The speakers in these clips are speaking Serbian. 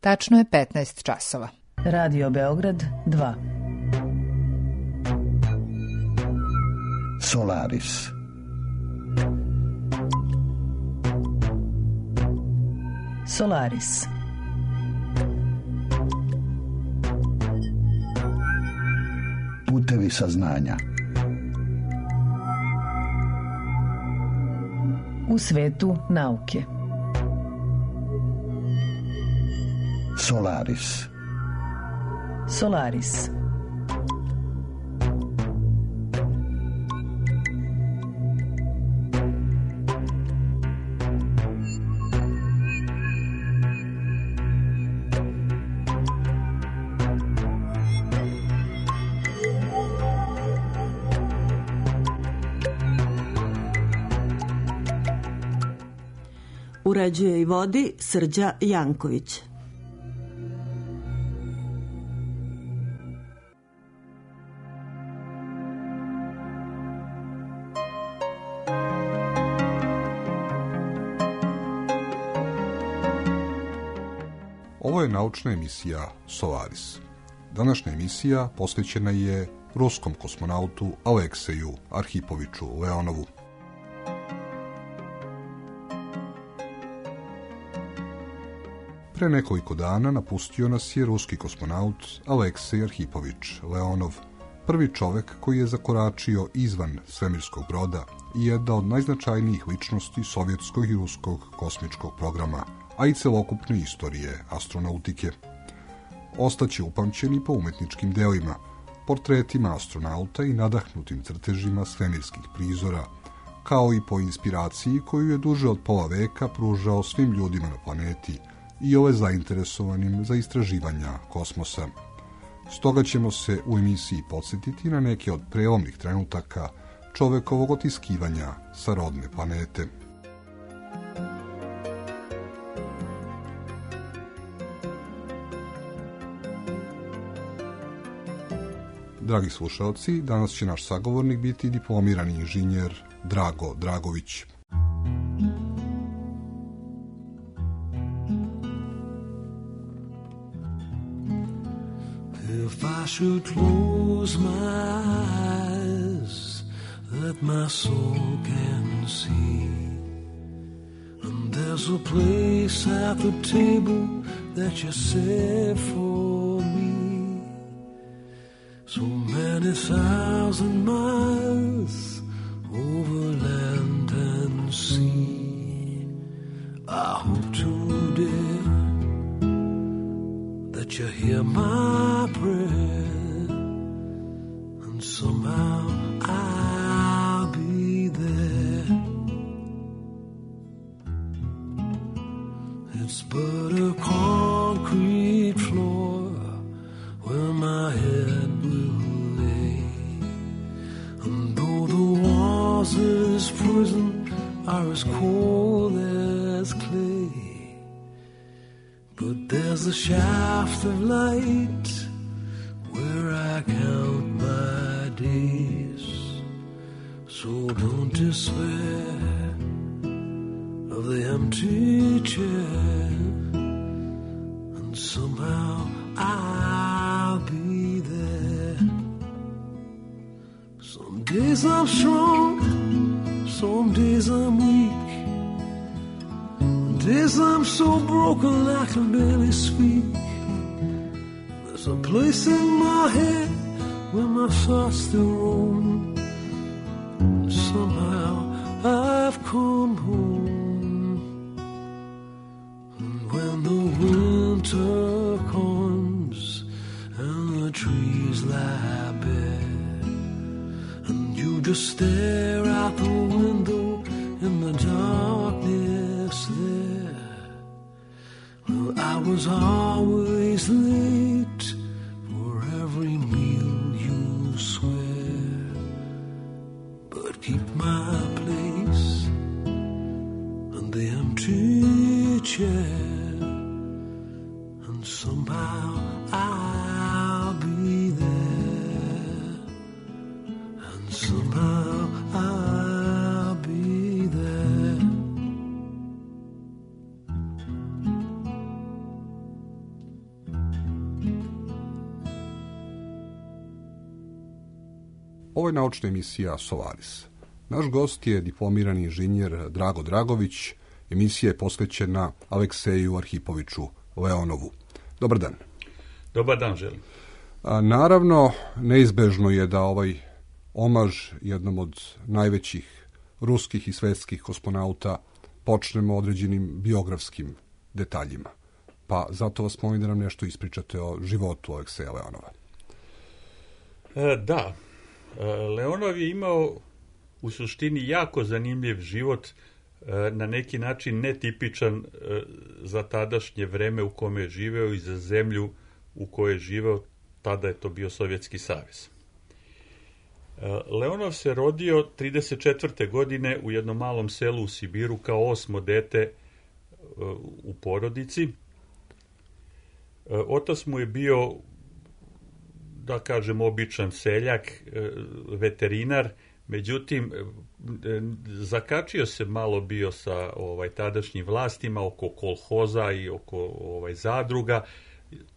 Tačno je 15 časova. Radio Beograd 2. Solaris. Solaris. Putevi saznanja. U svetu nauke. Solaris. Solaris. Uređuje i vodi Srđa Janković. Ovo je naučna emisija Solaris. Današnja emisija posvećena je ruskom kosmonautu Alekseju Arhipoviću Leonovu. Pre nekoliko dana napustio nas je ruski kosmonaut Aleksej Arhipović Leonov, prvi čovek koji je zakoračio izvan svemirskog broda i jedna od najznačajnijih ličnosti sovjetskog i ruskog kosmičkog programa, a i celokupne istorije astronautike. Ostaće upamćeni po umetničkim delima, portretima astronauta i nadahnutim crtežima svemirskih prizora, kao i po inspiraciji koju je duže od pola veka pružao svim ljudima na planeti i ove zainteresovanim za istraživanja kosmosa. Stoga ćemo se u emisiji podsjetiti na neke od prelomnih trenutaka čovekovog otiskivanja sa rodne planete. Dragi slušalci, danas će naš sagovornik biti diplomirani inženjer Drago Dragović. If I should close my eyes, that my soul can see, and there's a place at the table that you set for me, so many thousand miles over land and sea. I hope today that you hear my prayer, and somehow I'll be there. It's but a concrete floor where my head will lay, and though the walls of this prison are as cold as clay, but there's a shaft of light where I count my days. So don't despair of the empty chair, and somehow I'll be there. Some days I'm strong, some days I'm weak, days I'm so broken I can barely speak. There's a place in my head where my thoughts still roam, and somehow I've come home. And when the winter comes and the trees lie bare, and you just stare out the window in the darkness there, well, I was always late for every meal you swear, but keep my place in the empty chair, and somehow I'll be there, and somehow I'll be there. Ovo je naučna emisija Solaris. Naš gost je diplomirani inženjer Drago Dragović. Emisija je posvećena Alekseju Arhipoviću Leonovu. Dobar dan. Dobar dan, želim. Naravno, neizbežno je da ovaj omaž jednom od najvećih ruskih i svetskih kosmonauta počnemo određenim biografskim detaljima. Pa zato vas molim da nam nešto ispričate o životu Alekseja Leonova. Da, Leonov je imao u suštini jako zanimljiv život, na neki način netipičan za tadašnje vreme u kome je živeo i za zemlju u kojoj je živeo, tada je to bio Sovjetski savez. Leonov se rodio 1934. godine u jednom malom selu u Sibiru kao 8. dete u porodici. Otac mu je bio, da kažem, običan seljak, veterinar, međutim, zakačio se malo bio sa tadašnjim vlastima oko kolhoza i oko zadruga,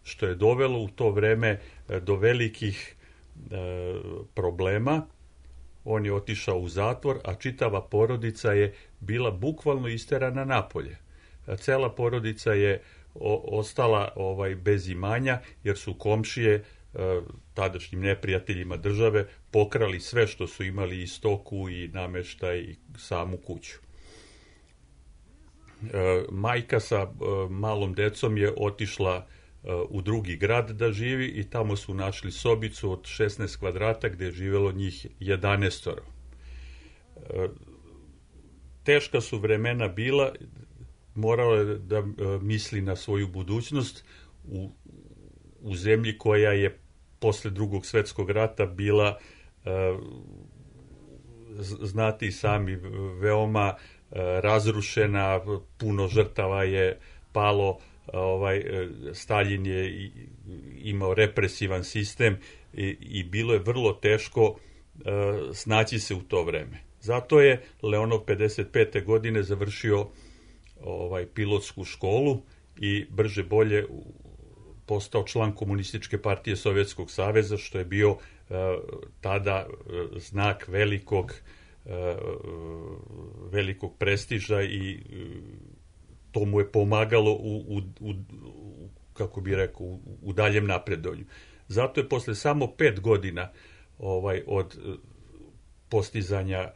što je dovelo u to vreme do velikih problema. On je otišao u zatvor, a čitava porodica je bila bukvalno isterana napolje. Cela porodica je ostala bez imanja, jer su komšije tadašnjim neprijateljima države pokrali sve što su imali, i stoku i nameštaj i samu kuću. Majka sa malom decom je otišla u drugi grad da živi i tamo su našli sobicu od 16 kvadrata gde je živelo njih 11. Teška su vremena bila, morao je da misli na svoju budućnost u zemlji koja je posle Drugog svjetskog rata bila, znate i sami, veoma razrušena, puno žrtava je palo, Staljin je imao represivan sistem i bilo je vrlo teško snaći se u to vreme. Zato je Leonov 55. godine završio pilotsku školu i brže bolje postao član Komunističke partije Sovjetskog saveza, što je bio tada znak velikog prestiža i to mu je pomagalo kako bi rekao, u daljem napredovanju. Zato je posle samo 5 godina od postizanja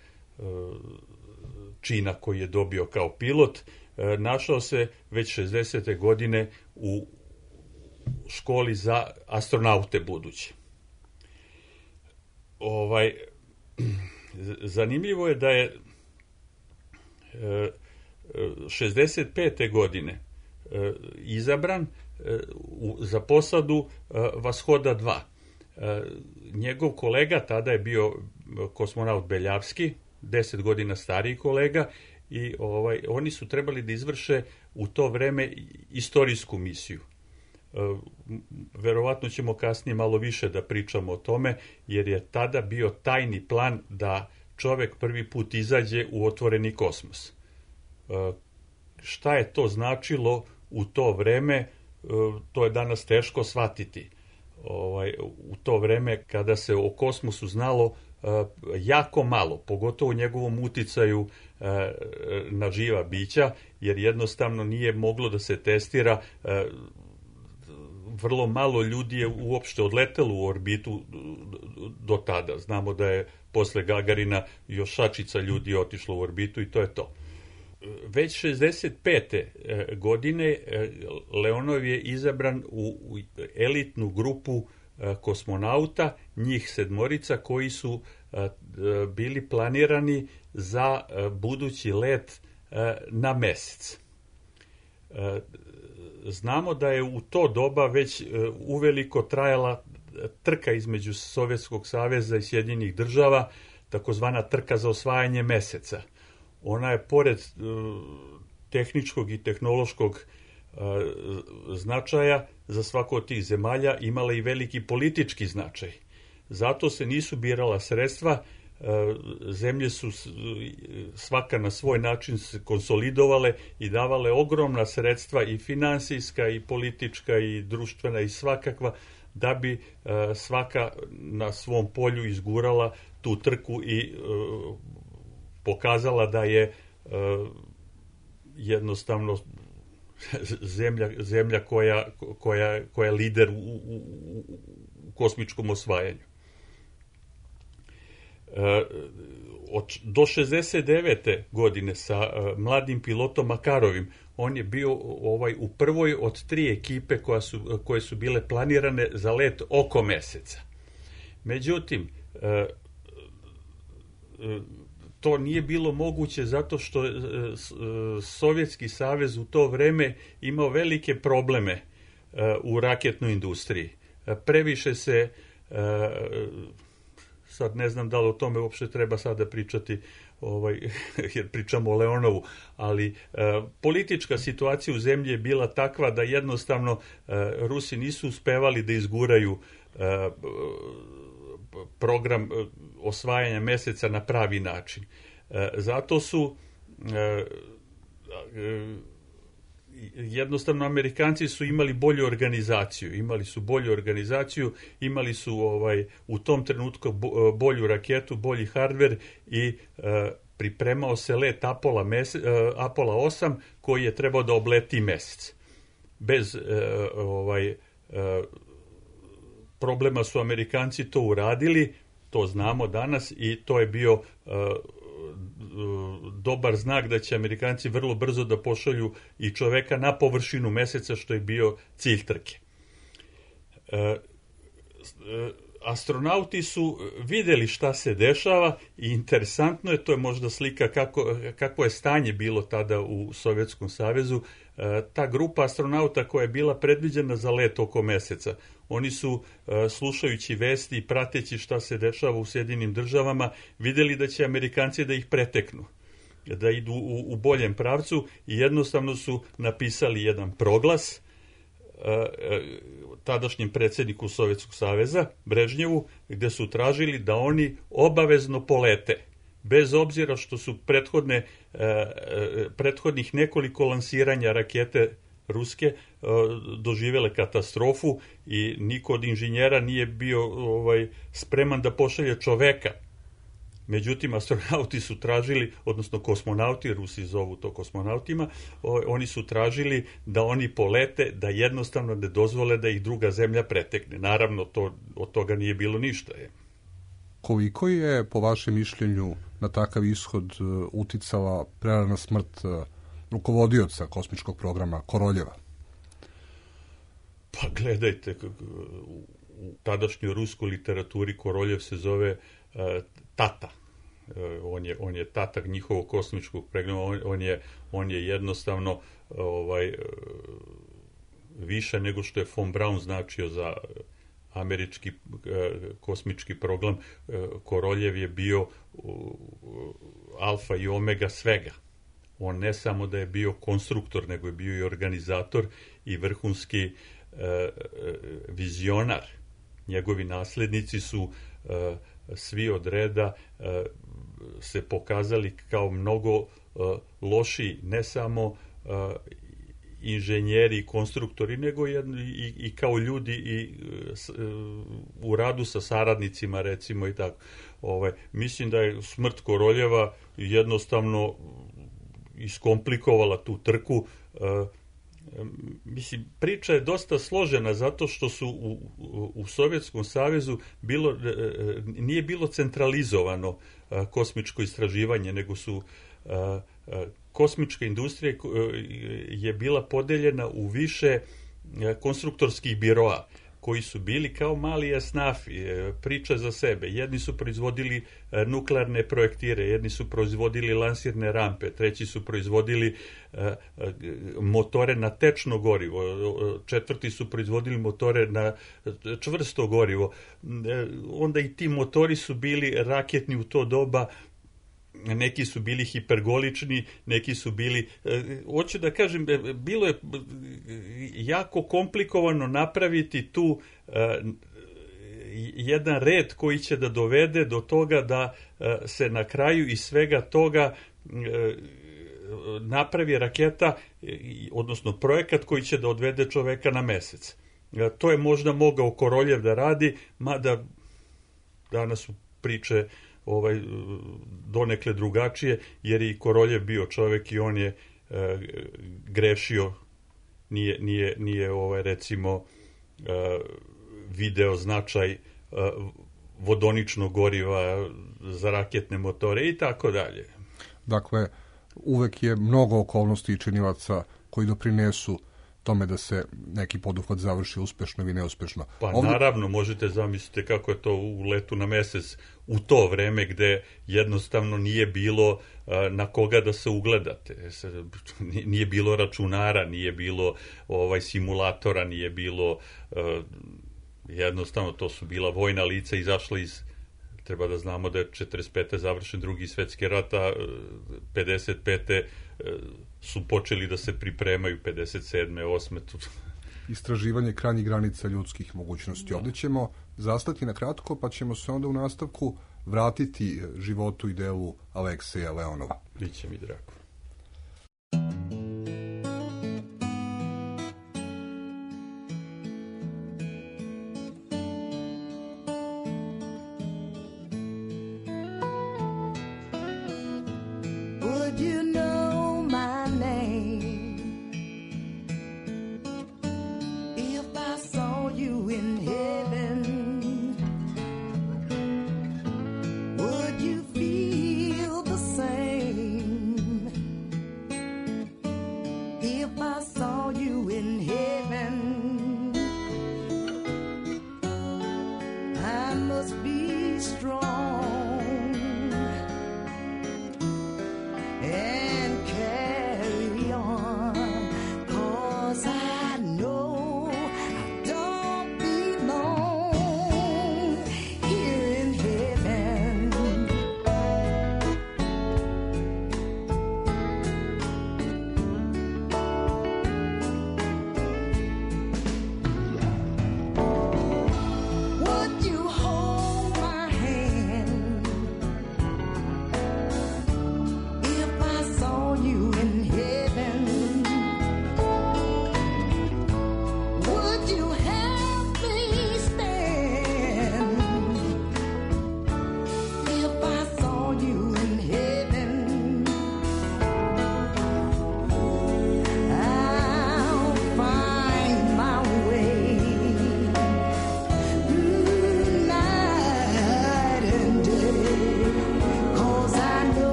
čina koji je dobio kao pilot, našao se već 60. godine u školi za astronaute buduće. Zanimljivo je da je 65. godine izabran za posadu Vashoda 2. Njegov kolega, tada je bio kosmonaut Beljavski, 10 godina stariji kolega, i oni su trebali da izvrše u to vreme istorijsku misiju. Verovatno ćemo kasnije malo više da pričamo o tome, jer je tada bio tajni plan da čovek prvi put izađe u otvoreni kosmos. Šta je to značilo u to vreme, to je danas teško shvatiti. U to vreme kada se o kosmosu znalo jako malo, pogotovo u njegovom uticaju na živa bića, jer jednostavno nije moglo da se testira. Vrlo malo ljudi je uopšte odletelo u orbitu do tada. Znamo da je posle Gagarina još šačica ljudi otišlo u orbitu i to je to. Već 65. godine Leonov je izabran u elitnu grupu kosmonauta, njih 7 koji su bili planirani za budući let na mesec. Znamo da je u to doba već uveliko trajala trka između Sovjetskog saveza i Sjedinjenih država, takozvana trka za osvajanje meseca. Ona je pored tehničkog i tehnološkog značaja za svako od tih zemalja imala i veliki politički značaj. Zato se nisu birala sredstva, zemlje su svaka na svoj način se konsolidovale i davale ogromna sredstva, i finansijska i politička i društvena i svakakva, da bi svaka na svom polju izgurala tu trku i pokazala da je jednostavno zemlja koja je lider u kosmičkom osvajanju. Do 69. godine sa mladim pilotom Makarovim on je bio u prvoj od 3 ekipe koje su bile planirane za let oko meseca. Međutim, to nije bilo moguće zato što Sovjetski savez u to vreme imao velike probleme u raketnoj industriji. Previše se, sad ne znam da li o tome uopšte treba sada pričati, jer pričamo o Leonovu, ali politička situacija u zemlji je bila takva da jednostavno Rusi nisu uspevali da izguraju program osvajanja meseca na pravi način. Zato su jednostavno Amerikanci su imali bolju organizaciju, imali su u tom trenutku bolju raketu, bolji hardver i pripremao se let Apollo 8 koji je trebao da obleti mesec. Bez problema su Amerikanci to uradili, to znamo danas i to je bio dobar znak da će Amerikanci vrlo brzo da pošalju i čoveka na površinu meseca, što je bio cilj trke. Astronauti su videli šta se dešava i interesantno je, to je možda slika kako je stanje bilo tada u Sovjetskom savezu. Ta grupa astronauta koja je bila predviđena za let oko meseca, oni su, slušajući vesti i prateći šta se dešava u Sjedinjenim državama, videli da će Amerikanci da ih preteknu, da idu u boljem pravcu i jednostavno su napisali jedan proglas tadašnjem predsjedniku Sovjetskog saveza, Brežnjevu, gde su tražili da oni obavezno polete, bez obzira što su prethodnih nekoliko lansiranja rakete ruske doživjele katastrofu i niko od inženjera nije bio spreman da pošalje čoveka. Međutim, astronauti su tražili, odnosno kosmonauti, Rusi zovu to kosmonautima, oni su tražili da oni polete, da jednostavno ne dozvole da ih druga zemlja pretekne. Naravno, od toga nije bilo ništa. Koliko je, po vašem mišljenju, na takav ishod uticala prerana smrt rukovodioca kosmičkog programa Koroljeva? Pa gledajte, u tadašnjoj ruskoj literaturi Koroljev se zove tata. On je tatak njihovog kosmičkog programa, on je jednostavno više nego što je von Braun značio za američki kosmički program. Koroljev je bio alfa i omega svega. On ne samo da je bio konstruktor, nego je bio i organizator i vrhunski vizionar. Njegovi naslednici su svi od reda se pokazali kao mnogo lošiji, ne samo inženjeri i konstruktori, nego i kao ljudi i u radu sa saradnicima, recimo, i tako. Mislim da je smrt Koroljeva jednostavno iskomplikovala tu trku. Mislim, priča je dosta složena zato što su u Sovjetskom savezu nije bilo centralizovano kosmičko istraživanje, nego su kosmička industrija je bila podeljena u više konstruktorskih biroa koji su bili kao mali esnafi, priča za sebe. Jedni su proizvodili nuklearne projektire, jedni su proizvodili lansirne rampe, treći su proizvodili motore na tečno gorivo, četvrti su proizvodili motore na čvrsto gorivo. Onda i ti motori su bili raketni u to doba, neki su bili hipergolični, neki su bili, hoću da kažem, bilo je jako komplikovano napraviti tu jedan red koji će da dovede do toga da se na kraju iz svega toga napravi raketa, odnosno projekat koji će da odvede čoveka na mesec. To je možda mogao Koroljev da radi, mada danas su priče donekle drugačije, jer je i Koroljev bio čovjek i on je grešio, nije recimo video značaj vodoničnog goriva za raketne motore i tako dalje. Dakle, uvek je mnogo okolnosti i činilaca koji doprinesu tome da se neki poduhvat završi uspešno ili neuspešno. Pa naravno, možete zamisliti kako je to u letu na mesec u to vreme gde jednostavno nije bilo na koga da se ugledate. Nije bilo računara, nije bilo simulatora, nije bilo jednostavno to su bila vojna lica izašla iz. Treba da znamo da je 45. završen Drugi svetski rat, a 55. su počeli da se pripremaju 57. 8. Istraživanje krajnjih granica ljudskih mogućnosti. Ovdje ćemo zastati na kratko, pa ćemo se onda u nastavku vratiti životu i delu Alekseja Leonova. Biće mi drago.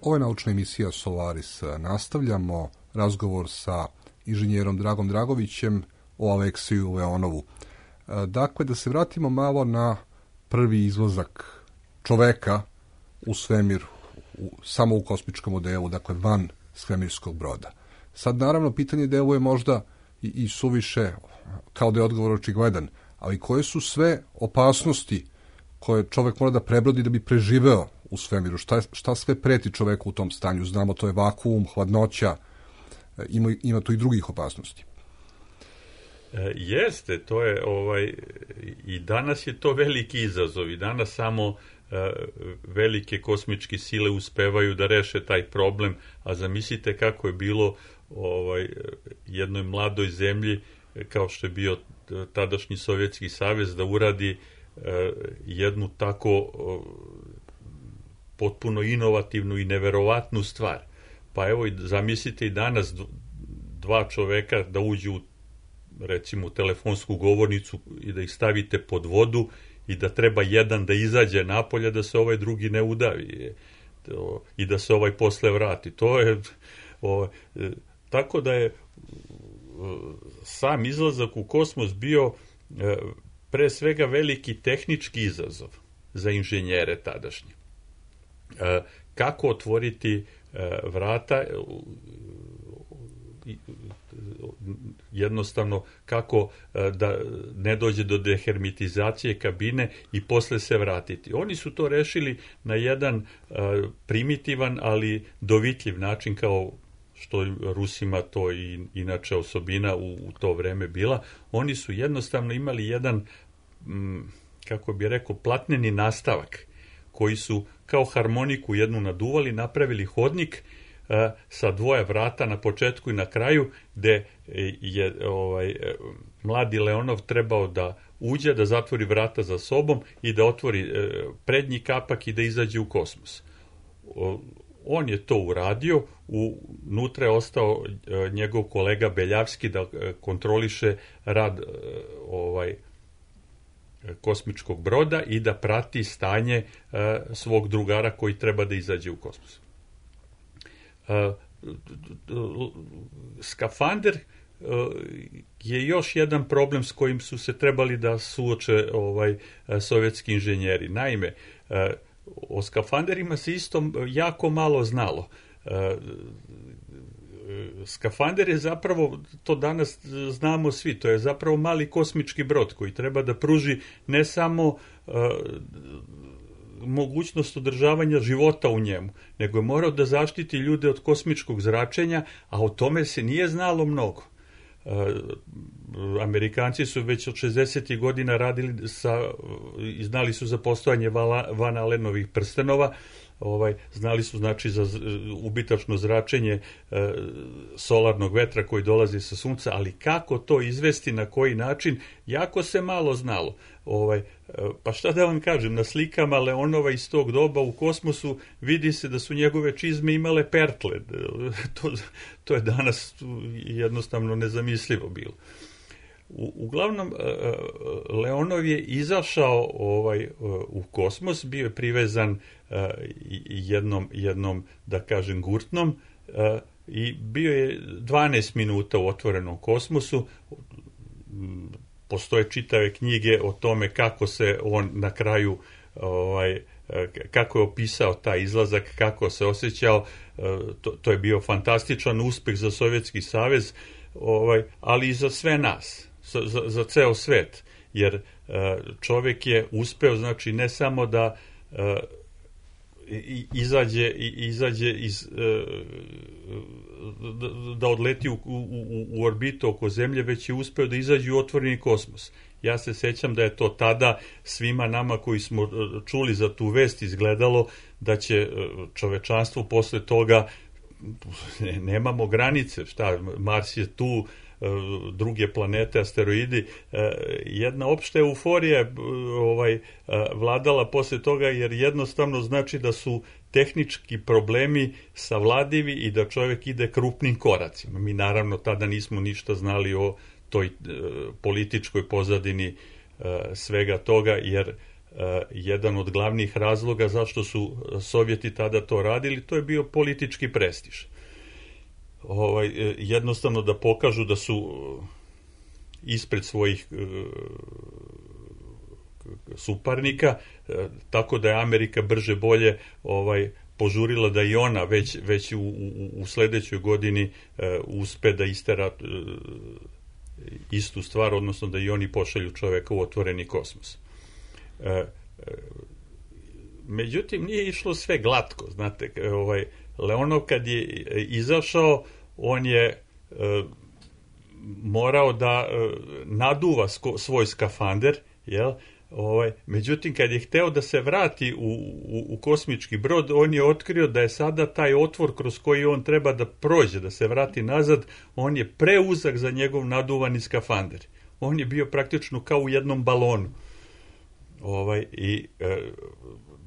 Ovo je naučna emisija Solaris. Nastavljamo razgovor sa inženjerom Dragom Dragovićem o Alekseju Leonovu. Dakle, da se vratimo malo na prvi izlazak čoveka u svemir, samo u kosmičkom modelu, dakle van svemirskog broda. Sad, naravno, pitanje deluje možda i suviše, kao da je odgovor očigledan, ali koje su sve opasnosti koje čovek mora da prebrodi da bi preživeo u svemiru? Šta sve preti čoveku u tom stanju? Znamo, to je vakuum, hladnoća, ima tu i drugih opasnosti. Jeste, to je i danas je to veliki izazov i danas samo velike kosmičke sile uspevaju da reše taj problem, a zamislite kako je bilo jednoj mladoj zemlji kao što je bio tadašnji Sovjetski savez da uradi jednu tako potpuno inovativnu i neverovatnu stvar. Pa evo, zamislite i danas dva čoveka da uđu recimo u telefonsku govornicu i da ih stavite pod vodu i da treba jedan da izađe napolje da se ovaj drugi ne udavi i da se ovaj posle vrati. To je tako da je sam izlazak u kosmos bio pre svega veliki tehnički izazov za inženjere tadašnje. Kako otvoriti vrata, jednostavno kako da ne dođe do dehermitizacije kabine i posle se vratiti. Oni su to rešili na jedan primitivan, ali dovitljiv način, kao što Rusima to i inače osobina u to vreme bila, oni su jednostavno imali jedan, kako bi rekao, platneni nastavak, koji su kao harmoniku jednu naduvali, napravili hodnik sa dvoje vrata na početku i na kraju, gde je mladi Leonov trebao da uđe, da zatvori vrata za sobom i da otvori prednji kapak i da izađe u kosmos. On je to uradio, unutra je ostao njegov kolega Beljavski da kontroliše rad kosmičkog broda i da prati stanje svog drugara koji treba da izađe u kosmos. Skafander je još jedan problem s kojim su se trebali da suoče sovjetski inženjeri. Naime, o skafanderima se isto jako malo znalo. Skafander je zapravo, to danas znamo svi, to je zapravo mali kosmički brod koji treba da pruži ne samo mogućnost održavanja života u njemu, nego je morao da zaštiti ljude od kosmičkog zračenja, a o tome se nije znalo mnogo. Amerikanci su već od 60. godina radili i znali su za postojanje Van Alenovih prstenova, znali su znači za ubitačno zračenje solarnog vetra koji dolazi sa sunca, ali kako to izvesti, na koji način, jako se malo znalo. Pa šta da vam kažem, na slikama Leonova iz tog doba u kosmosu vidi se da su njegove čizme imale pertle. To je danas jednostavno nezamislivo bilo. Uglavnom, Leonov je izašao u kosmos, bio je privezan jednom, da kažem, gurtnom i bio je 12 minuta u otvorenom kosmosu. Postoje čitave knjige o tome kako se on na kraju, kako je opisao taj izlazak, kako se osjećao. To je bio fantastičan uspeh za Sovjetski savez, ali i za sve nas, za ceo svet, jer čovjek je uspeo, znači, ne samo da izađe iz da odleti u orbitu oko Zemlje, već je uspeo da izađe u otvoreni kosmos. Ja se sećam da je to tada svima nama koji smo čuli za tu vest izgledalo da će čovečanstvo posle toga, nemamo granice, Mars je tu, druge planete, asteroidi, jedna opšta euforija vladala posle toga, jer jednostavno znači da su tehnički problemi savladivi i da čovjek ide krupnim koracima. Mi naravno tada nismo ništa znali o toj političkoj pozadini svega toga, jer jedan od glavnih razloga zašto su Sovjeti tada to radili, to je bio politički prestiž. Jednostavno da pokažu da su ispred svojih suparnika, tako da je Amerika brže bolje požurila da i ona već u sledećoj godini uspe da istera istu stvar, odnosno da i oni pošalju čoveka u otvoreni kosmos. Međutim, nije išlo sve glatko, znate, Leonov kad je izašao, on je morao da naduva svoj skafander, jel? Međutim, kad je hteo da se vrati u kosmički brod, on je otkrio da je sada taj otvor kroz koji on treba da prođe, da se vrati nazad, on je preuzak za njegov naduvani skafander. On je bio praktično kao u jednom balonu.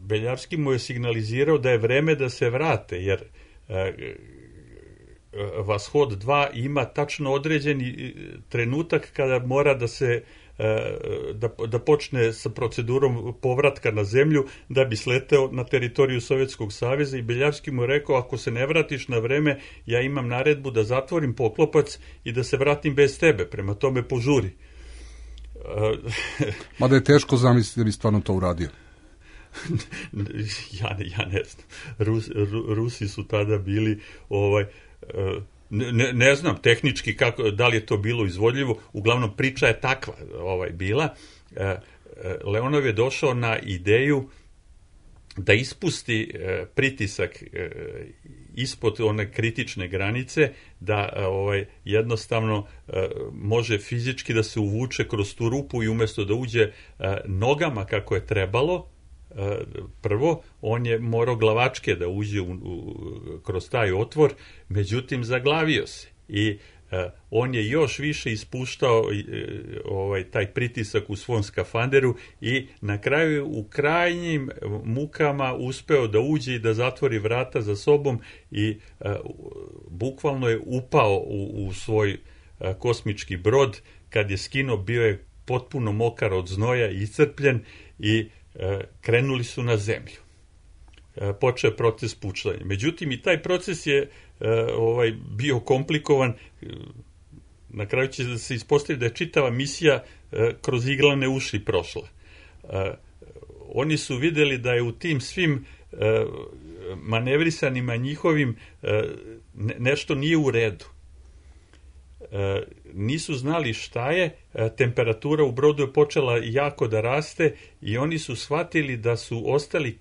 Beljavski mu je signalizirao da je vreme da se vrate, jer Vashod 2 ima tačno određeni trenutak kada mora da se da počne sa procedurom povratka na zemlju da bi sleteo na teritoriju Sovjetskog saveza, i Beljavski mu je rekao, ako se ne vratiš na vreme, ja imam naredbu da zatvorim poklopac i da se vratim bez tebe, prema tome požuri. Mada je teško zamisliti da bi stvarno to uradio. Ja ne znam. Rusi su tada bili ne znam tehnički da li je to bilo izvodljivo, uglavnom priča je takva bila. Leonov je došao na ideju da ispusti pritisak ispod one kritične granice, da jednostavno može fizički da se uvuče kroz tu rupu i umjesto da uđe nogama kako je trebalo, prvo, on je morao glavačke da uđe kroz taj otvor, međutim zaglavio se i on je još više ispuštao taj pritisak u svom skafanderu i na kraju u krajnjim mukama uspeo da uđe i da zatvori vrata za sobom i bukvalno je upao u svoj kosmički brod. Kad je skinuo, bio je potpuno mokar od znoja i iscrpljen i krenuli su na zemlju. Počeo je proces puštanja. Međutim, i taj proces je bio komplikovan. Na kraju će se ispostaviti da je čitava misija kroz iglane uši prošla. Oni su vidjeli da je u tim svim manevrisanima njihovim nešto nije u redu. Nisu znali šta je, temperatura u brodu je počela jako da raste i oni su shvatili da su ostali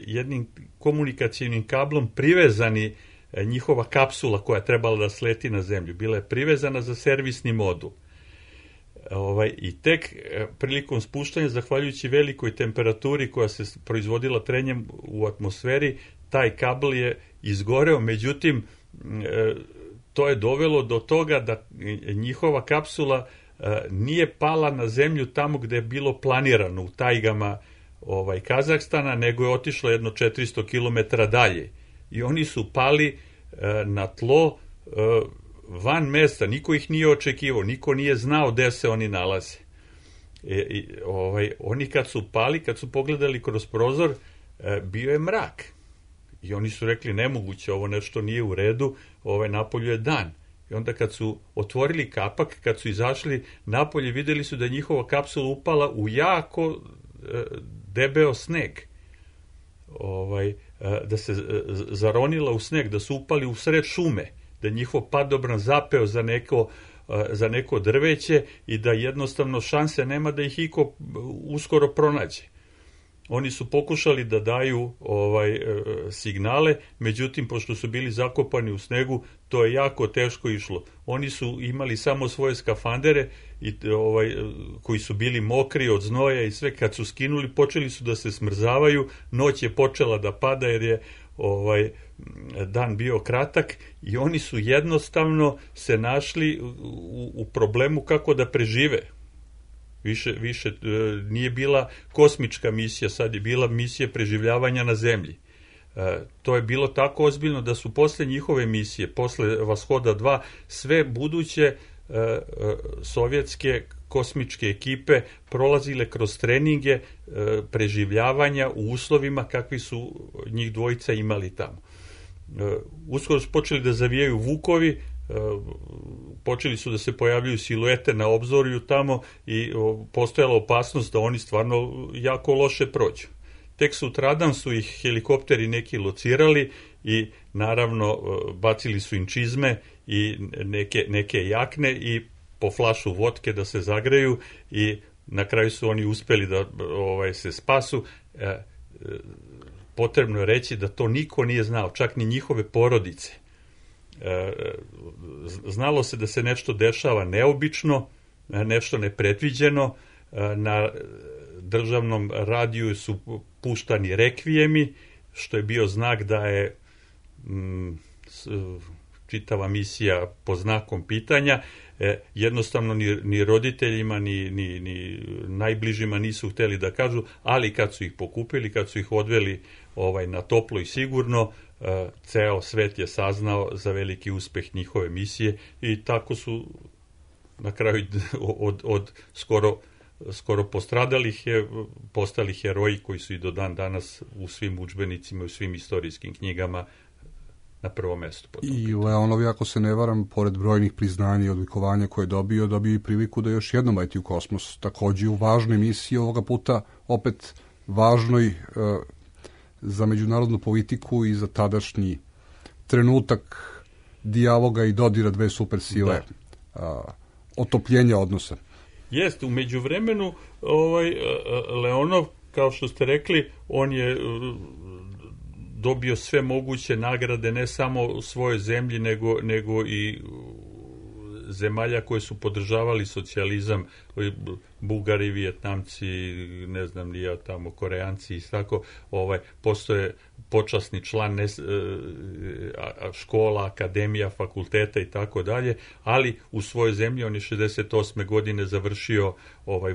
jednim komunikacijnim kablom privezani njihova kapsula koja je trebala da sleti na zemlju. Bila je privezana za servisni modul. I tek prilikom spuštanja, zahvaljujući velikoj temperaturi koja se proizvodila trenjem u atmosferi, taj kabel je izgoreo, međutim to je dovelo do toga da njihova kapsula nije pala na zemlju tamo gde je bilo planirano, u tajgama Kazahstana, nego je otišla jedno 400 km dalje. I oni su pali na tlo van mesta, niko ih nije očekivao, niko nije znao gde se oni nalaze. Oni kad su pali, kad su pogledali kroz prozor, bio je mrak. I oni su rekli, nemoguće, ovo nešto nije u redu, napolju je dan. I onda kad su otvorili kapak, kad su izašli napolje, videli su da je njihova kapsula upala u jako debeo sneg. Da se zaronila u sneg, da su upali u sred šume, da je njihov padobran zapeo za neko drveće i da jednostavno šanse nema da ih iko uskoro pronađe. Oni su pokušali da daju signale, međutim, pošto su bili zakopani u snegu, to je jako teško išlo. Oni su imali samo svoje skafandere koji su bili mokri od znoja i sve. Kad su skinuli, počeli su da se smrzavaju, noć je počela da pada jer je dan bio kratak i oni su jednostavno se našli u problemu kako da prežive. Više nije bila kosmička misija, sad je bila misija preživljavanja na zemlji. To je bilo tako ozbiljno da su posle njihove misije, posle Vashoda 2, sve buduće sovjetske kosmičke ekipe prolazile kroz treninge preživljavanja u uslovima kakvi su njih dvojica imali tamo. Uskoro su počeli da zavijaju vukovi, počeli su da se pojavljuju siluete na obzorju tamo i postojala opasnost da oni stvarno jako loše prođu. Tek sutradan su ih helikopteri neki locirali i naravno bacili su im čizme i neke jakne i po flašu vodke da se zagreju i na kraju su oni uspeli da se spasu. Potrebno je reći da to niko nije znao, čak ni njihove porodice. Znalo se da se nešto dešava neobično, nešto nepredviđeno. Na državnom radiju su puštani rekvijemi, što je bio znak da je čitava misija pod znakom pitanja. Jednostavno ni roditeljima ni najbližima nisu hteli da kažu, ali kad su ih pokupili, kad su ih odveli na toplo i sigurno, ceo svet je saznao za veliki uspeh njihove misije i tako su na kraju od skoro postradalih postali heroji koji su i do dan danas u svim udžbenicima i u svim istorijskim knjigama na prvom mestu. I Leonov, ako se ne varam, pored brojnih priznanja i odlikovanja koje je dobio i priliku da još jednom leti u kosmos. Takođe u važnoj misiji ovoga puta, opet važnoj za međunarodnu politiku i za tadašnji trenutak dijaloga i dodira dve supersile, otopljenja odnosa. Jeste, u međuvremenu Leonov kao što ste rekli, on je dobio sve moguće nagrade, ne samo u svojoj zemlji, nego i zemalja koje su podržavali socijalizam, Bugari, Vijetnamci, ne znam ni ja tamo, Koreanci i tako, postoje počasni član škola, akademija, fakulteta i tako dalje, ali u svojoj zemlji on je 68. godine završio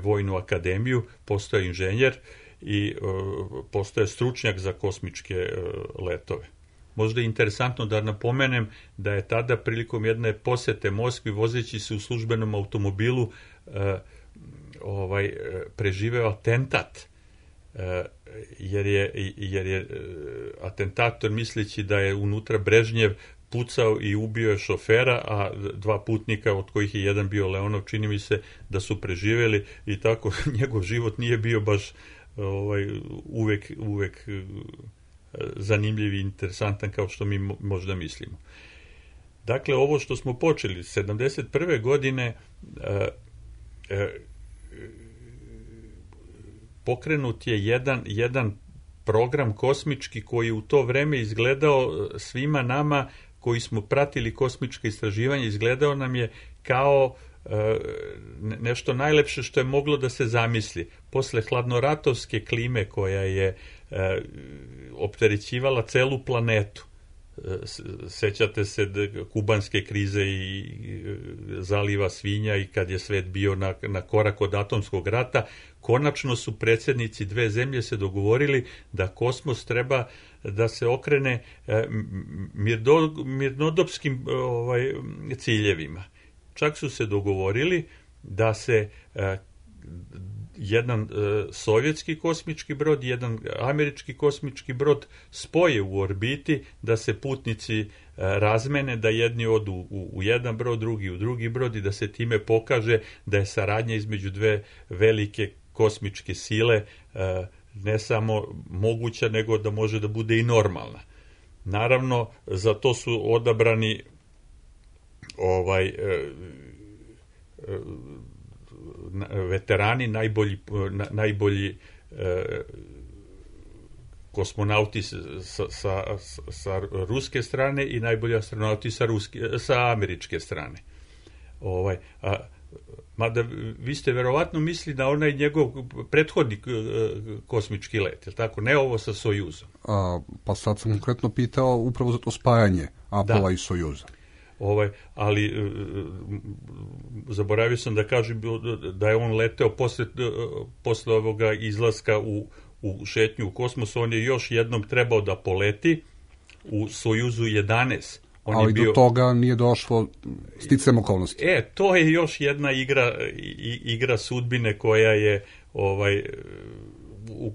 vojnu akademiju, postoje inženjer i postoje stručnjak za kosmičke letove. Možda je interesantno da napomenem da je tada prilikom jedne posete Moskvi, vozeći se u službenom automobilu, preživeo atentat, jer je atentator, misleći da je unutra Brežnjev, pucao i ubio je šofera, a dva putnika, od kojih je jedan bio Leonov, čini mi se da su preživjeli, i tako njegov život nije bio baš uvek zanimljiv i interesantan kao što mi možda mislimo. Dakle, ovo što smo počeli 71. godine, pokrenut je jedan program kosmički koji u to vreme izgledao svima nama koji smo pratili kosmička istraživanja, izgledao nam je kao nešto najlepše što je moglo da se zamisli. Posle hladnoratovske klime koja je opterećivala celu planetu, sećate se kubanske krize i zaliva svinja, i kad je svet bio na korak od atomskog rata, konačno su predsjednici dve zemlje se dogovorili da kosmos treba da se okrene mirnodopskim ciljevima. Čak su se dogovorili da se jedan sovjetski kosmički brod i jedan američki kosmički brod spoje u orbiti, da se putnici razmene, da jedni odu u jedan brod, drugi u drugi brod, i da se time pokaže da je saradnja između dve velike kosmičke sile ne samo moguća, nego da može da bude i normalna. Naravno, za to su odabrani veterani, najbolji kosmonauti sa ruske strane i najbolji astronauti sa američke strane. Mada vi ste verovatno mislili na onaj njegov prethodni kosmički let, je tako? Ne ovo sa Sojuzom. Pa sad sam konkretno pitao upravo za to spajanje Apola i Sojuza. Ali zaboravio sam da kažem da je on leteo posle ovoga izlaska u šetnju u kosmos. On je još jednom trebao da poleti u Sojuzu 11. Ali do toga nije došlo sticajem okolnosti. To je još jedna igra sudbine koja je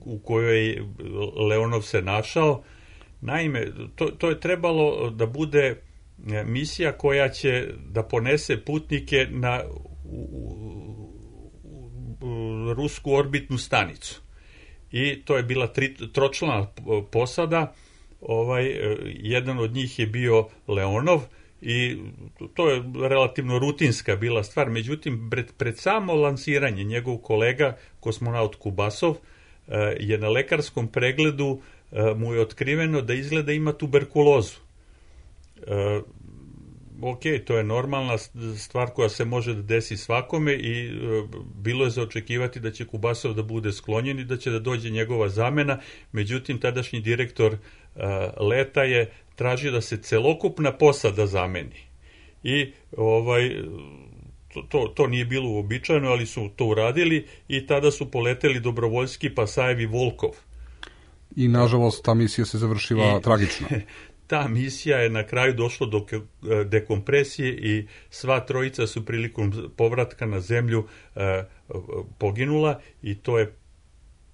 u kojoj Leonov se našao. Naime, to je trebalo da bude misija koja će da ponese putnike na rusku orbitnu stanicu. I to je bila tročlana posada. Jedan od njih je bio Leonov i to je relativno rutinska bila stvar. Međutim, pred samo lansiranje njegov kolega, kosmonaut Kubasov, je na lekarskom pregledu mu je otkriveno da izgleda ima tuberkulozu. To je normalna stvar koja se može da desi svakome i bilo je za očekivati da će Kubasov da bude sklonjen i da će da dođe njegova zamena. Međutim, tadašnji direktor leta je tražio da se celokupna posada zameni. I to nije bilo uobičajeno, ali su to uradili i tada su poleteli dobrovoljski Pasajev i Volkov. I nažalost ta misija se završila tragično. Ta misija je na kraju došla do dekompresije i sva trojica su prilikom povratka na zemlju poginula, i to je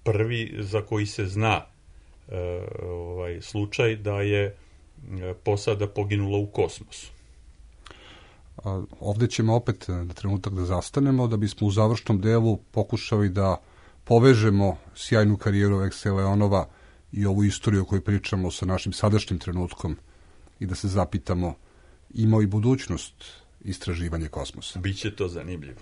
prvi za koji se zna slučaj da je posada poginula u kosmosu. Ovdje ćemo opet na trenutak da zastanemo, da bismo u završnom delu pokušali da povežemo sjajnu karijeru Aleksija Leonova i ovu istoriju o kojoj pričamo sa našim sadašnjim trenutkom i da se zapitamo ima i budućnost istraživanje kosmosa. Biće to zanimljivo.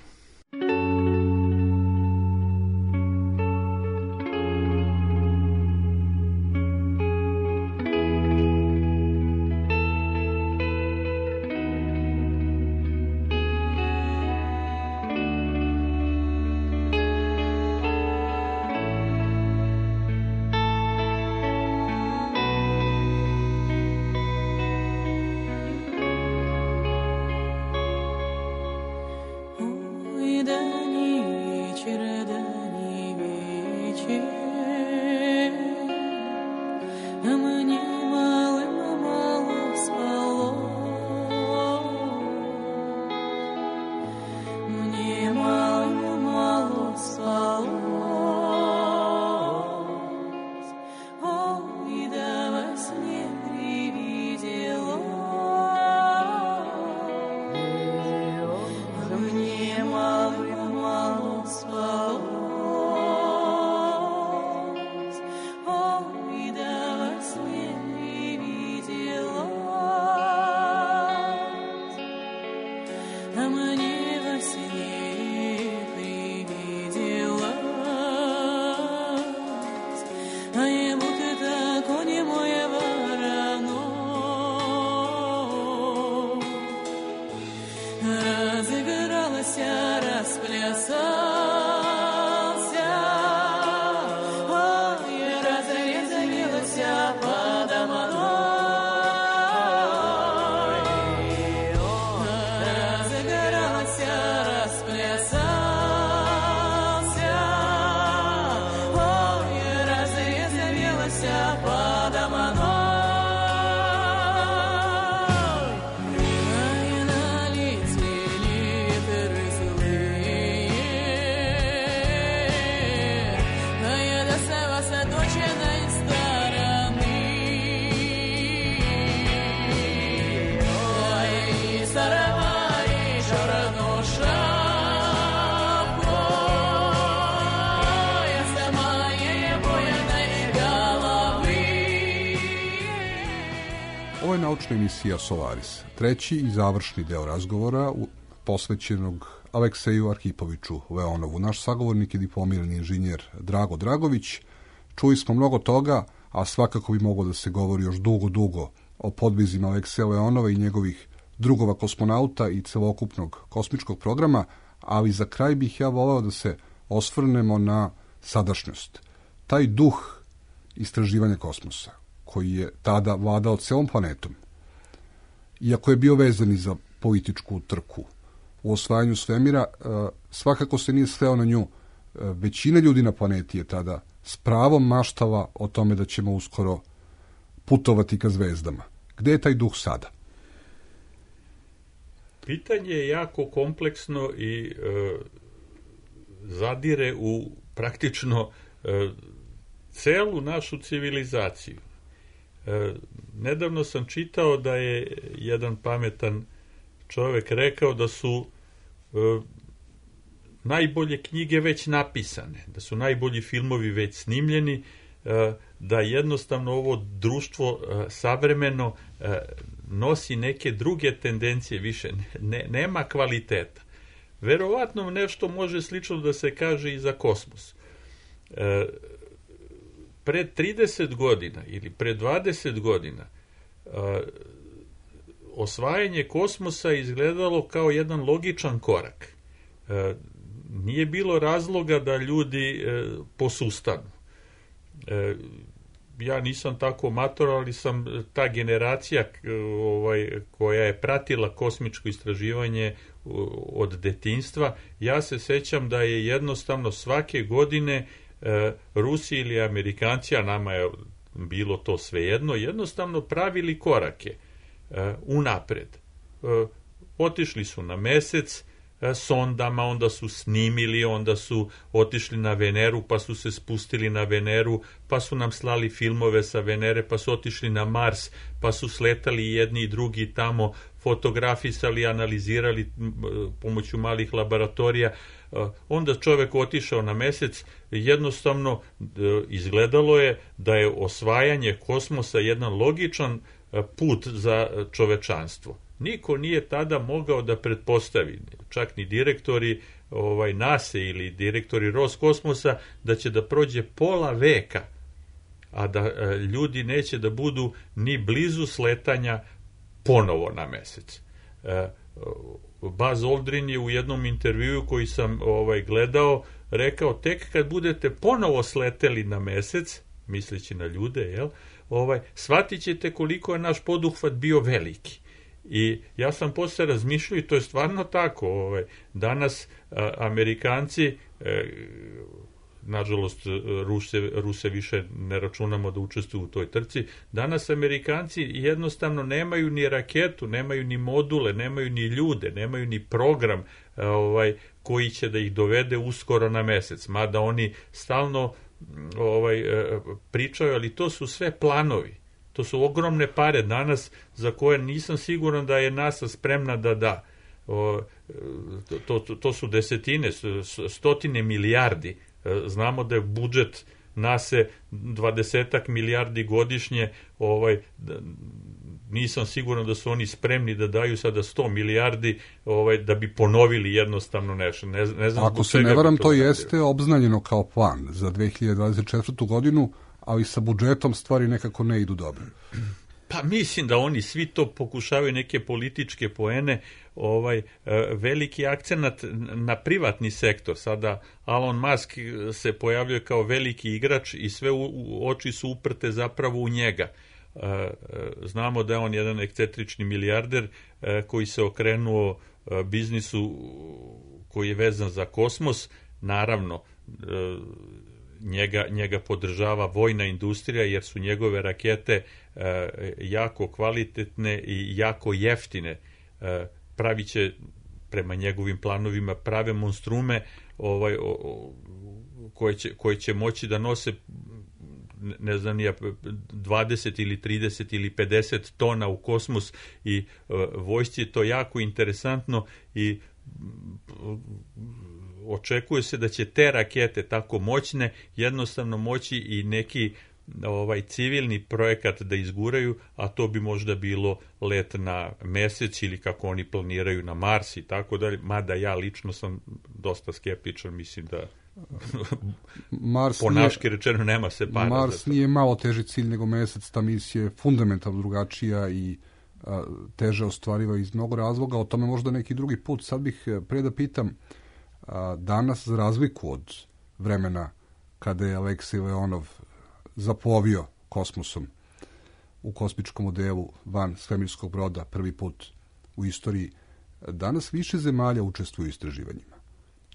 današnja emisija Solaris. Treći i završni deo razgovora posvećenog Alekseju Arhipoviću Leonovu. Naš sagovornik je diplomirani inženjer Drago Dragović. Čuli smo mnogo toga, a svakako bi moglo da se govori još dugo o podvizima Alekseja Leonova i njegovih drugova kosmonauta i celokupnog kosmičkog programa, ali za kraj bih ja voleo da se osvrnemo na sadašnjost. Taj duh istraživanja kosmosa, koji je tada vladao celom planetom, iako je bio vezan i za političku trku u osvajanju svemira, svakako se nije sveo na nju. Većina ljudi na planeti je tada s pravom maštala o tome da ćemo uskoro putovati ka zvezdama. Gde je taj duh sada? Pitanje je jako kompleksno i zadire u praktično celu našu civilizaciju. Nedavno sam čitao da je jedan pametan čovjek rekao da su najbolje knjige već napisane, da su najbolji filmovi već snimljeni, da jednostavno ovo društvo savremeno nosi neke druge tendencije više, nema kvaliteta. Verovatno nešto može slično da se kaže i za kosmos. Pred 30 godina ili pred 20 godina osvajanje kosmosa izgledalo kao jedan logičan korak. Nije bilo razloga da ljudi posustanu. Ja nisam tako mator, ali sam ta generacija koja je pratila kosmičko istraživanje od detinjstva. Ja se sećam da je jednostavno svake godine Rusi ili Amerikanci, a nama je bilo to svejedno, jednostavno pravili korake unapred. Otišli su na Mesec sondama, onda su snimili, onda su otišli na Veneru, pa su se spustili na Veneru, pa su nam slali filmove sa Venere, pa su otišli na Mars, pa su sletali jedni i drugi tamo, fotografisali, analizirali pomoću malih laboratorija. Onda čovjek otišao na Mesec, jednostavno izgledalo je da je osvajanje kosmosa jedan logičan put za čovečanstvo. Niko nije tada mogao da pretpostavi, čak ni direktori NASA ili direktori Roskosmosa, da će da prođe pola veka, a da ljudi neće da budu ni blizu sletanja ponovo na Mesec. Buzz Aldrin je u jednom intervjuu koji sam gledao rekao, tek kad budete ponovo sleteli na Mesec, misleći na ljude, shvatit ćete koliko je naš poduhvat bio veliki. I ja sam posle razmišljao, i to je stvarno tako, danas Amerikanci, nažalost Ruse više ne računamo da učestvuju u toj trci, danas Amerikanci jednostavno nemaju ni raketu, nemaju ni module, nemaju ni ljude, nemaju ni program koji će da ih dovede uskoro na Mesec, mada oni stalno pričaju, ali to su sve planovi. To su ogromne pare danas za koje nisam siguran da je NASA spremna da da. To su desetine, stotine milijardi. Znamo da je budžet NASA 20 milijardi godišnje. Nisam siguran da su oni spremni da daju sada 100 milijardi da bi ponovili jednostavno nešto. Ne znam. Ako se ne varam, to jeste obznanjeno kao plan za 2024. godinu, ali sa budžetom stvari nekako ne idu dobro. Pa mislim da oni svi to pokušavaju neke političke poene, veliki akcenat na privatni sektor. Sada Elon Musk se pojavljuje kao veliki igrač i sve oči su uprte zapravo u njega. Znamo da je on jedan ekscentrični milijarder koji se okrenuo biznisu koji je vezan za kosmos. Naravno, njega podržava vojna industrija jer su njegove rakete jako kvalitetne i jako jeftine. Pravit će, prema njegovim planovima, prave monstrume koje će moći da nose, ne znam, 20 ili 30 ili 50 tona u kosmos, i vojsci je to jako interesantno i očekuje se da će te rakete tako moćne jednostavno moći i neki civilni projekat da izguraju, a to bi možda bilo let na mesec ili kako oni planiraju na Mars i tako dalje, mada ja lično sam dosta skeptičan, mislim da ponaški rečeno nema se para. Mars nije malo teži cilj nego mesec, ta misija je fundamentalno drugačija i teže ostvariva iz mnogo razloga, o tome možda neki drugi put. Sad bih pre da pitam, danas za razliku od vremena kada je Aleksej Leonov zaplovio kosmosom u kosmičkom modelu van svemirskog broda prvi put u istoriji, danas više zemalja učestvuju u istraživanjima.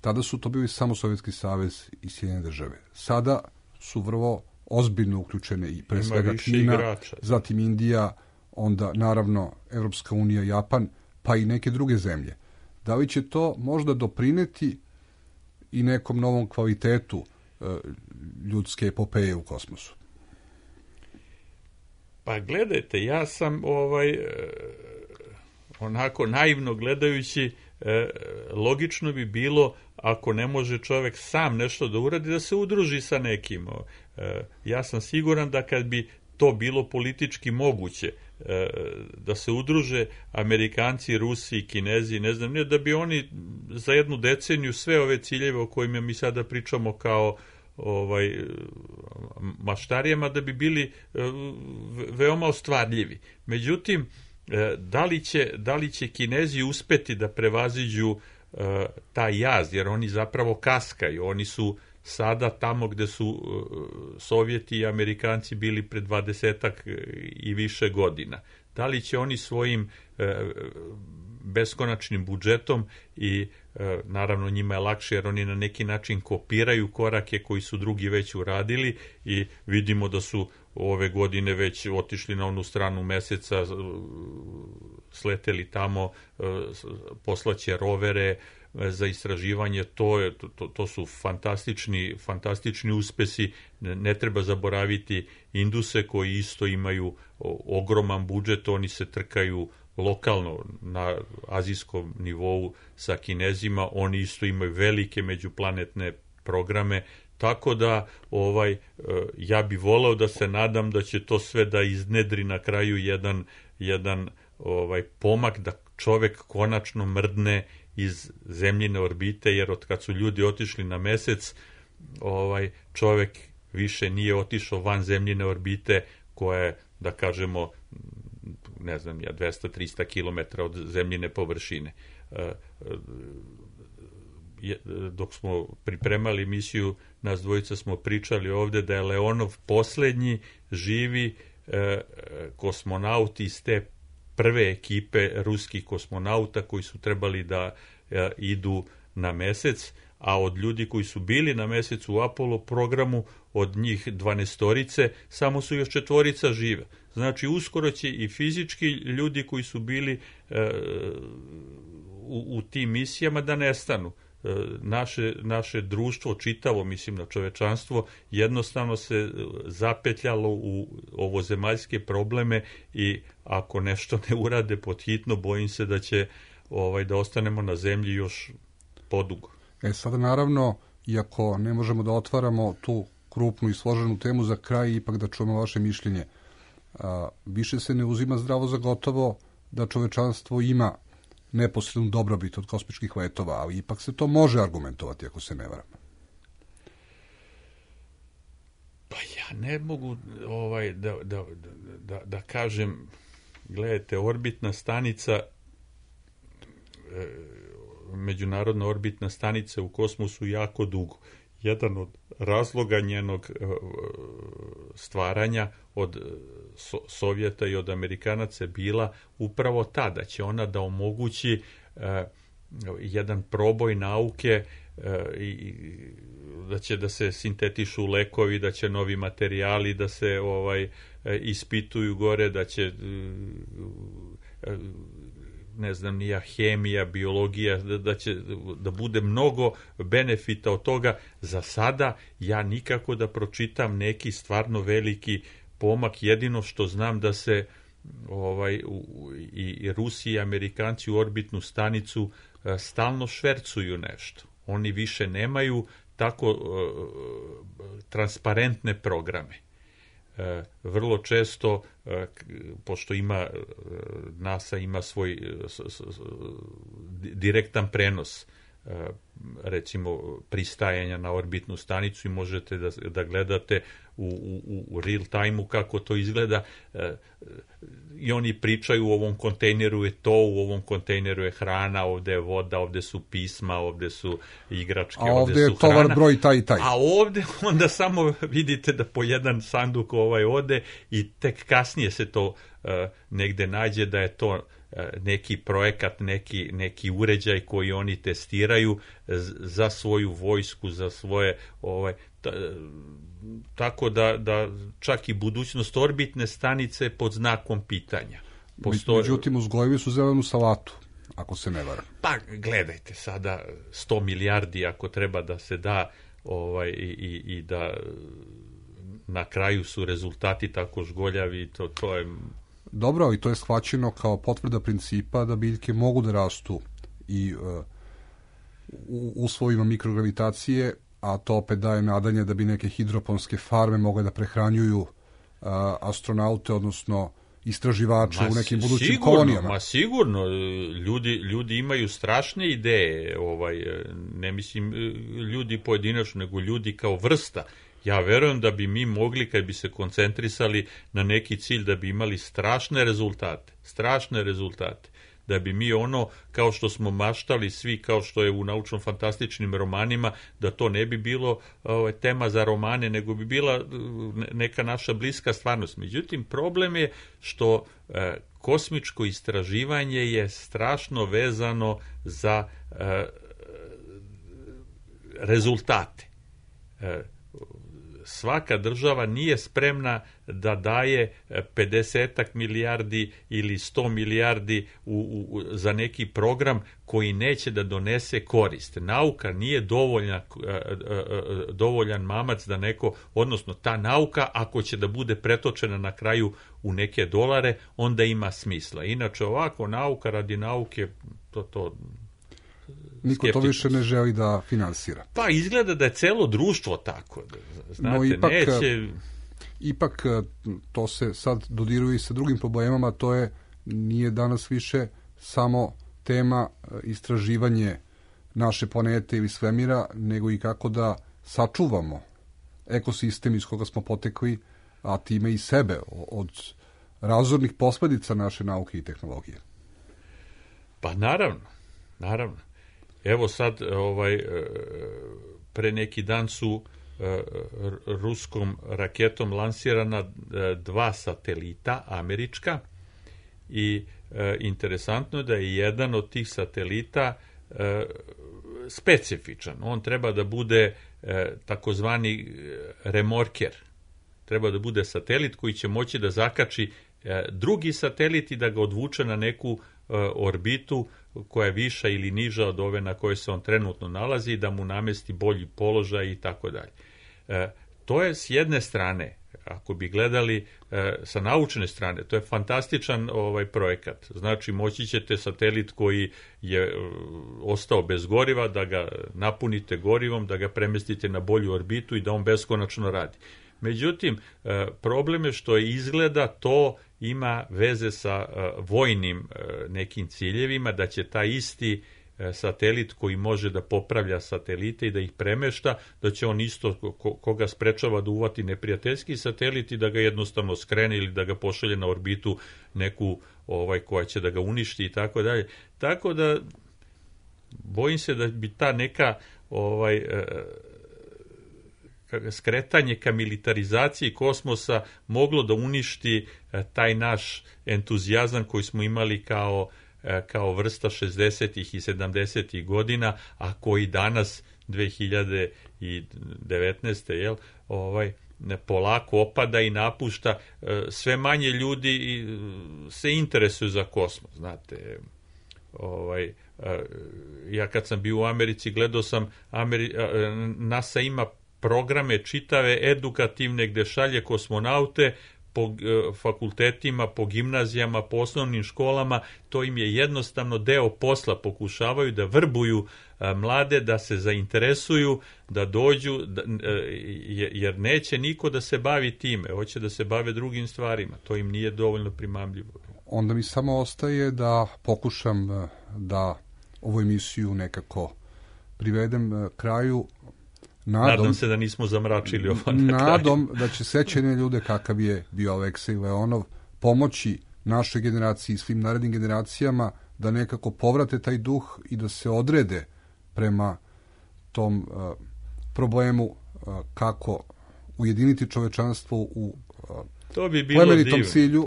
Tada su to bili samo Sovjetski savez i Sjedinjene države. Sada su vrlo ozbiljno uključene i pre svega Kina, igrača, zatim Indija, onda naravno Evropska unija, Japan, pa i neke druge zemlje. Da li će to možda doprineti i nekom novom kvalitetu ljudske epopeje u kosmosu? Pa gledajte, ja sam onako naivno gledajući, logično bi bilo, ako ne može čovjek sam nešto da uradi, da se udruži sa nekim. Ja sam siguran da kad bi to bilo politički moguće, da se udruže Amerikanci, Rusi, Kinezi, ne znam, da bi oni za jednu deceniju sve ove ciljeve o kojima mi sada pričamo kao maštarijama, da bi bili veoma ostvarljivi. Međutim, da li će Kinezi uspeti da prevaziđu taj jaz, jer oni zapravo kaskaju, oni su sada tamo gde su Sovjeti i Amerikanci bili pred 20-ak i više godina. Da li će oni svojim beskonačnim budžetom i naravno njima je lakše jer oni na neki način kopiraju korake koji su drugi već uradili i vidimo da su ove godine već otišli na onu stranu meseca, sleteli tamo, poslaće rovere za istraživanje, to su fantastični uspesi. Ne treba zaboraviti Induse koji isto imaju ogroman budžet, oni se trkaju lokalno na azijskom nivou sa Kinezima, oni isto imaju velike međuplanetne programe, tako da ja bi voleo da se nadam da će to sve da iznedri na kraju jedan pomak, da čovek konačno mrdne iz zemljine orbite, jer od kad su ljudi otišli na mesec, čovek više nije otišao van zemljine orbite koja je, da kažemo, ne znam ja, 200-300 km od zemljine površine. Dok smo pripremali emisiju, nas dvojica smo pričali ovde da je Leonov poslednji živi kosmonaut iz te prve ekipe ruskih kosmonauta koji su trebali da idu na mesec, a od ljudi koji su bili na mesecu u Apollo programu, od njih 12 samo su još 4 žive. Znači, uskoro će i fizički ljudi koji su bili u tim misijama da nestanu. Naše društvo, čitavo, mislim na čovečanstvo, jednostavno se zapetljalo u ovozemaljske probleme i ako nešto ne urade pod hitno, bojim se da će da ostanemo na zemlji još podugo. Sada naravno, iako ne možemo da otvaramo tu krupnu i složenu temu za kraj, ipak da čujemo vaše mišljenje. Više se ne uzima zdravo za gotovo da čovečanstvo ima neposrednu dobrobit od kosmičkih letova, ali ipak se to može argumentovati, ako se ne varam. Pa ja ne mogu da kažem, gledajte, orbitna stanica, međunarodna orbitna stanica u kosmosu jako dugo. Jedan od razloga njenog stvaranja od Sovjeta i od Amerikanaca je bila upravo ta, da će ona da omogući jedan proboj nauke, da će da se sintetišu lekovi, da će novi materijali da se ispituju gore, da će ne znam nija, hemija, biologija, da će da bude mnogo benefita od toga. Za sada ja nikako da pročitam neki stvarno veliki pomak, jedino što znam da se i Rusi i Amerikanci u orbitnu stanicu stalno švercuju nešto. Oni više nemaju tako transparentne programe. vrlo često, pošto NASA ima svoj direktan prenos, recimo pristajanja na orbitnu stanicu, i možete da gledate u real time-u kako to izgleda, i oni pričaju u ovom kontejneru je to, u ovom kontejneru je hrana, ovde je voda, ovde su pisma, ovde su igračke, ovde su hrana. A ovde je tovar broj taj i taj. A ovde onda samo vidite da po jedan sanduk ode, i tek kasnije se to negde nađe da je to neki projekat, neki uređaj koji oni testiraju za svoju vojsku, za svoje tako da čak i budućnost orbitne stanice pod znakom pitanja. Međutim, uzgojili su zelenu salatu, ako se ne varam. Pa gledajte, sada 100 milijardi ako treba da se da, i da na kraju su rezultati tako žgoljavi, to je... Dobro, ali to je shvaćeno kao potvrda principa da biljke mogu da rastu i u uslovima mikrogravitacije, a to opet daje nadanje da bi neke hidroponske farme mogle da prehranjuju astronaute, odnosno istraživače u nekim budućim kolonijama. Sigurno, ljudi imaju strašne ideje, ne mislim ljudi pojedinačno, nego ljudi kao vrsta. Ja verujem da bi mi mogli, kad bi se koncentrisali na neki cilj, da bi imali strašne rezultate, da bi mi kao što smo maštali svi, kao što je u naučno-fantastičnim romanima, da to ne bi bilo tema za romane, nego bi bila neka naša bliska stvarnost. Međutim, problem je što kosmičko istraživanje je strašno vezano za rezultate. Svaka država nije spremna da daje 50 milijardi ili 100 milijardi za neki program koji neće da donese korist. Nauka nije dovoljan mamac da neko, odnosno ta nauka, ako će da bude pretočena na kraju u neke dolare, onda ima smisla. Inače, ovako nauka radi nauke, to niko to više ne želi da finansira. Pa izgleda da je celo društvo tako. Znate, no, ipak to se sad dodiruje i sa drugim problemama, to nije danas više samo tema istraživanje naše planete ili svemira, nego i kako da sačuvamo ekosistem iz koga smo potekli, a time i sebe od razornih posledica naše nauke i tehnologije. Pa naravno. Evo sad, pre neki dan su ruskom raketom lansirana 2 satelita američka, i interesantno je da je jedan od tih satelita specifičan. On treba da bude takozvani remorker. Treba da bude satelit koji će moći da zakači drugi satelit i da ga odvuče na neku orbitu koja je viša ili niža od ove na kojoj se on trenutno nalazi, da mu namesti bolji položaj i tako dalje. To je s jedne strane, ako bi gledali sa naučne strane, to je fantastičan projekat. Znači, moći ćete satelit koji je ostao bez goriva, da ga napunite gorivom, da ga premestite na bolju orbitu i da on beskonačno radi. Međutim, problem je što izgleda to ima veze sa vojnim nekim ciljevima, da će taj isti satelit koji može da popravlja satelite i da ih premešta, da će on isto koga sprečava da uvati neprijateljski satelit i da ga jednostavno skrene ili da ga pošalje na orbitu neku koja će da ga uništi i tako dalje. Tako da bojim se da bi ta neka skretanje ka militarizaciji kosmosa moglo da uništi taj naš entuzijazam koji smo imali kao vrsta 60. i 70. godina, a koji danas 2019. Polako opada i napušta. Sve manje ljudi se interesuju za kosmos, znate. Ja kad sam bio u Americi, gledao sam NASA ima programe čitave edukativne gde šalje kosmonaute po fakultetima, po gimnazijama, po osnovnim školama, to im je jednostavno deo posla, pokušavaju da vrbuju mlade, da se zainteresuju, da dođu, jer neće niko da se bavi time, hoće da se bave drugim stvarima, to im nije dovoljno primamljivo. Onda mi samo ostaje da pokušam da ovu emisiju nekako privedem kraju. Nadam se da nismo zamračili ovo na kraju. Nadom da će sećanje ljude kakav je bio Aleksej Leonov pomoći našoj generaciji i svim narednim generacijama da nekako povrate taj duh i da se odrede prema tom problemu kako ujediniti čovečanstvo u plemenitom cilju,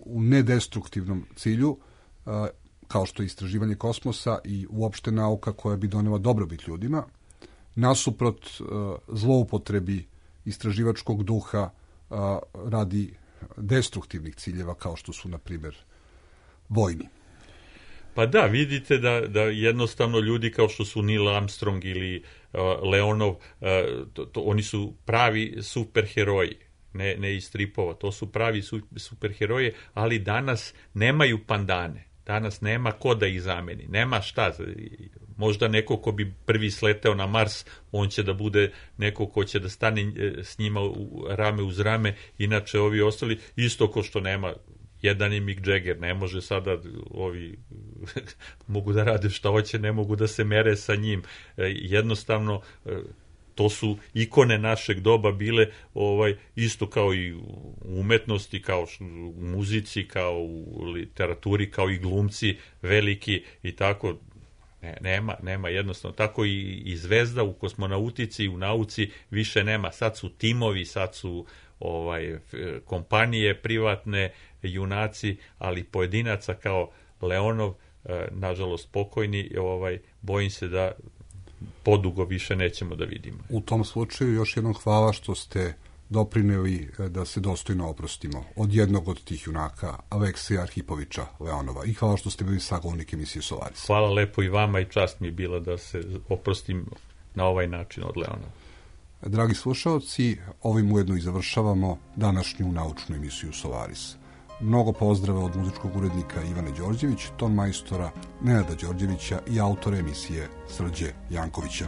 u nedestruktivnom cilju, kao što je istraživanje kosmosa i uopšte nauka koja bi donela dobrobit ljudima, nasuprot zloupotrebi istraživačkog duha radi destruktivnih ciljeva kao što su, na primjer, vojni. Pa da, vidite da jednostavno ljudi kao što su Neil Armstrong ili Leonov, oni su pravi superheroji, ne iz stripova, to su pravi superheroje, ali danas nemaju pandane. Danas nema ko da ih zameni, nema šta. Možda neko ko bi prvi sleteo na Mars, on će da bude neko ko će da stane s njima rame uz rame, inače ovi ostali, isto ko što nema, jedan je Mick Jagger, ne može sada ovi mogu da rade šta hoće, ne mogu da se mere sa njim. Jednostavno, to su ikone našeg doba bile, isto kao i u umetnosti, kao u muzici, kao u literaturi, kao i glumci veliki i tako. Nema jednostavno. Tako i zvezda u kosmonautici i u nauci više nema. Sad su timovi, sad su kompanije privatne, junaci, ali pojedinaca kao Leonov, nažalost pokojni, bojim se da podugo više nećemo da vidimo. U tom slučaju još jednom hvala što ste doprineli da se dostojno oprostimo od jednog od tih junaka, Alekseja Arhipovića Leonova. I hvala što ste bili sagovornik emisije Solaris. Hvala lepo i vama i čast mi je bila da se oprostim na ovaj način od Leonova. Dragi slušaoci, ovim ujedno i završavamo današnju naučnu emisiju Solaris. Mnogo pozdrava od muzičkog urednika Ivane Đorđević, ton majstora Nenada Đorđevića i autora emisije Srđe Jankovića.